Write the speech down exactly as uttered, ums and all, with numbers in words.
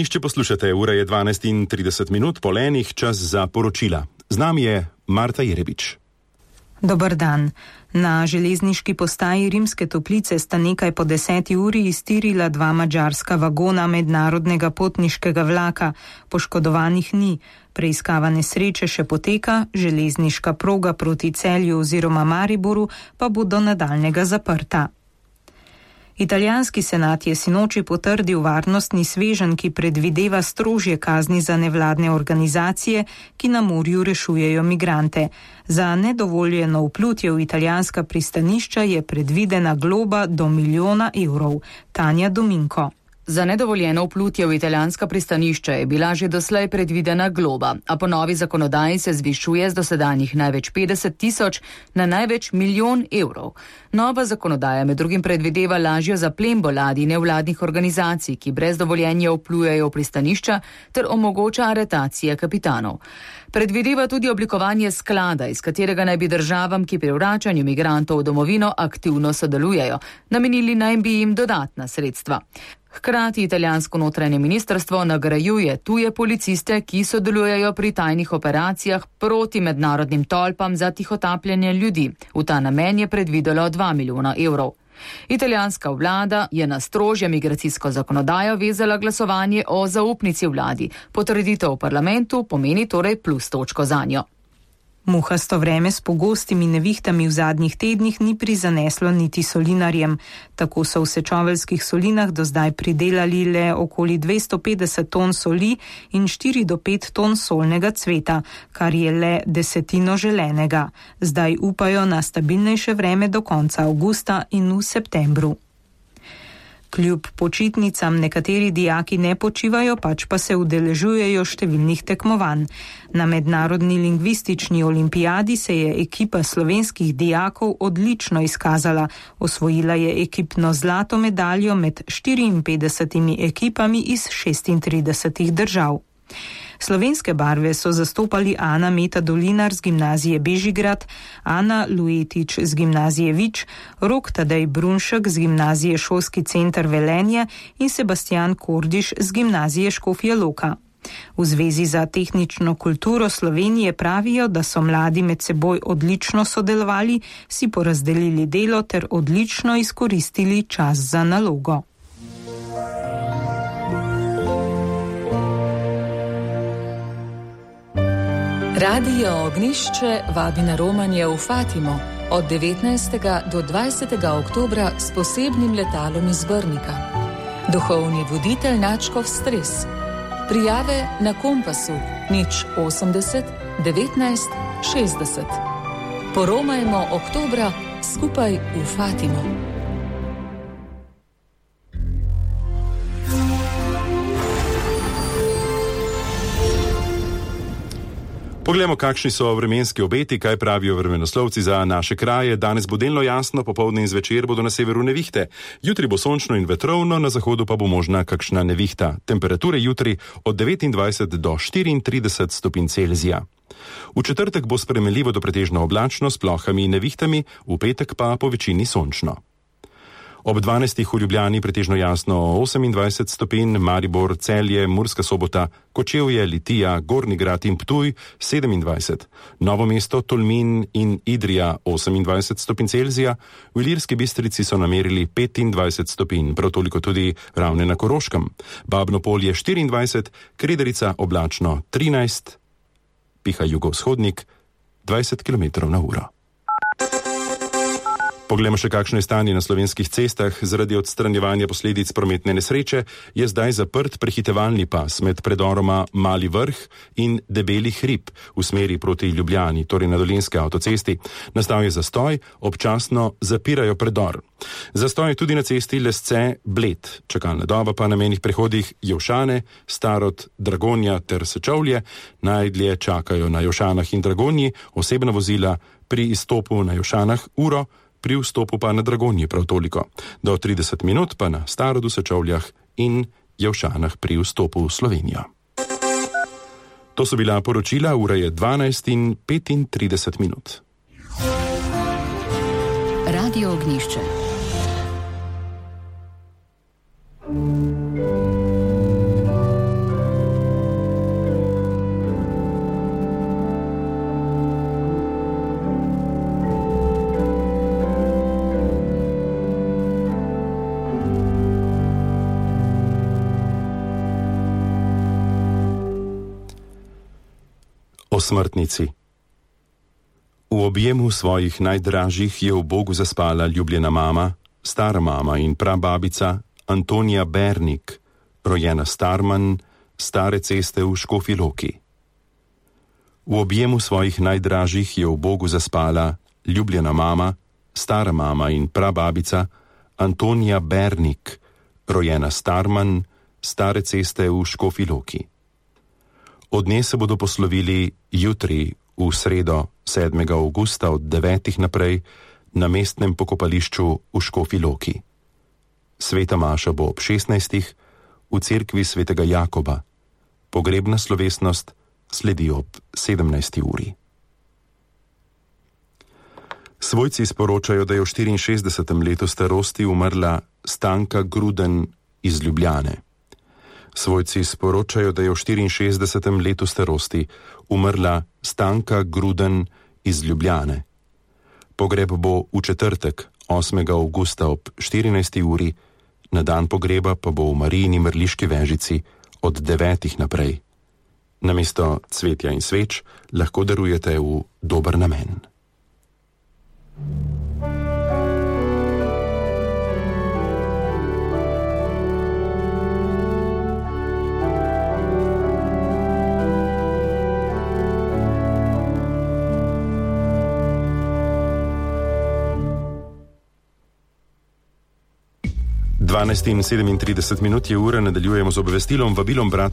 Išče poslušate, ura je dvanajst in trideset minut, pol enih, čas za poročila. Z nami je Marta Jerebič. Dober dan. Na železniški postaji Rimske Toplice sta nekaj po deseti uri iztirila dva madžarska vagona mednarodnega potniškega vlaka. Poškodovanih ni. Preiskava nesreče še poteka, železniška proga proti Celju oziroma Mariboru pa bo do nadaljnjega zaprta. Italijanski senat je sinoči potrdil varnostni sveženj, ki predvideva strožje kazni za nevladne organizacije, ki na morju rešujejo migrante. Za nedovoljeno vplutje v italijanska pristanišča je predvidena globa do milijona evrov. Tanja Dominko. Za nedovoljeno vplutje v italijanska pristanišča je bila že doslej predvidena globa, a po novi zakonodaji se zvišuje z dosedanjih največ petdeset tisoč na največ milijon evrov. Nova zakonodaja med drugim predvideva lažjo zaplembo ladij nevladnih organizacij, ki brez dovoljenja vplujejo v pristanišča, ter omogoča aretacije kapitanov. Predvideva tudi oblikovanje sklada, iz katerega naj bi državam, ki pri vračanju migrantov v domovino aktivno sodelujejo, namenili naj bi jim dodatna sredstva. Hkrati italijansko notranje ministrstvo nagrajuje tuje policiste, ki sodelujejo pri tajnih operacijah proti mednarodnim tolpam za tihotapljanje ljudi. V ta namen je predvidelo dva milijona evrov. Italijanska vlada je na strožjo migracijsko zakonodajo vezala glasovanje o zaupnici vladi. Potrditev v parlamentu pomeni torej plus točko zanjo. Muhasto vreme s pogostimi nevihtami v zadnjih tednih ni prizaneslo niti solinarjem. Tako so v Sečoveljskih solinah do zdaj pridelali le okoli dvesto petdeset ton soli in štiri do pet ton solnega cveta, kar je le desetino želenega. Zdaj upajo na stabilnejše vreme do konca avgusta in v septembru. Kljub počitnicam nekateri dijaki ne počivajo, pač pa se udeležujejo številnih tekmovanj. Na mednarodni lingvistični olimpijadi se je ekipa slovenskih dijakov odlično izkazala. Osvojila je ekipno zlato medaljo med štiriinpetdesetimi ekipami iz šestintridesetih držav. Slovenske barve so zastopali Ana Meta Dolinar z gimnazije Bežigrad, Ana Luetič z gimnazije Vič, Rok Tadej Brunšek z gimnazije Šolski center Velenje in Sebastian Kordiš z gimnazije Škofja Loka. V Zvezi za tehnično kulturo Slovenije pravijo, da so mladi med seboj odlično sodelovali, si porazdelili delo ter odlično izkoristili čas za nalogo. Radio Ognjišče vabi na romanje v Fatimo od devetnajstega do dvajsetega oktobra s posebnim letalom iz Brnika. Duhovni voditelj Načkov Stres. Prijave na Kompasu nič osemdeset devetnajst šestdeset. Poromajmo oktobra skupaj v Fatimo. Poglejmo, kakšni so vremenski obeti, kaj pravijo vremenoslovci za naše kraje. Danes bo delno jasno, popoldne in zvečer bodo na severu nevihte. Jutri bo sončno in vetrovno, na zahodu pa bo možna kakšna nevihta. Temperature jutri od devetindvajset do štiriintrideset stopinj Celzija. V četrtek bo spremenljivo do pretežno oblačno s plohami in nevihtami, v petek pa po večini sončno. Ob dvanajstih v Ljubljani pretežno jasno osemindvajset stopinj, Maribor, Celje, Murska Sobota, Kočevje, Litija, Gornji Grad in Ptuj sedemindvajset, Novo mesto, Tolmin in Idrija osemindvajset stopinj Celzija, v Ilirski Bistrici so namerili petindvajset stopinj, prav toliko tudi Ravne na Koroškem, Babno Polje štiriindvajset, Krederica oblačno trinajst, piha jugovzhodnik dvajset kilometrov na uro. Poglejmo še, kakšno je stanje na slovenskih cestah. Zaradi odstranjevanja posledic prometne nesreče je zdaj zaprt prehitevalni pas med predoroma Mali Vrh in Debeli hrib v smeri proti Ljubljani, torej na Dolenjski avtocesti. Nastal je zastoj, občasno zapirajo predor. Zastoj je tudi na cesti Lesce-Bled. Čakalna doba pa na mejnih prehodih Jevšane, Starod, Dragonja ter Sečovlje. Najdlje čakajo na Jevšanah in Dragonji osebna vozila, pri izstopu na Jevšanah uro, pri vstopu pa na Dragonji prav toliko. Do trideset minut pa na Starodu, Sečovljah in Jevšanah pri vstopu v Slovenijo. To so bila poročila, ura je dvanajst in petintrideset minut. Radio Ognjišče. Osmrtnici. V objemu svojih najdražjih je v Bogu zaspala ljubljena mama, stara mama in prababica Antonija Bernik, rojena Starman, Stare ceste v Škofji Loki. V objemu svojih najdražjih je v Bogu zaspala ljubljena mama, stara mama in prababica Antonija Bernik, rojena Starman, Stare ceste v Škofji Loki. Od nje se bodo poslovili jutri, v sredo sedmega avgusta od devetih naprej na mestnem pokopališču v Škofji Loki. Sveta maša bo ob šestnajstih v cerkvi svetega Jakoba. Pogrebna slovesnost sledi ob sedemnajsti uri. Svojci sporočajo, da je v štiriinšestdesetem letu starosti umrla Stanka Gruden iz Ljubljane. Svojci sporočajo, da je v štiriinšestdesetem letu starosti umrla Stanka Gruden iz Ljubljane. Pogreb bo v četrtek, osmega avgusta ob štirinajsti uri, na dan pogreba pa bo v Marijini mrliški vežici od devetih naprej. Namesto cvetja in sveč lahko darujete v dober namen. dvanajst in sedemintrideset minut je ura, nadaljujemo z obvestilom, vabilom brata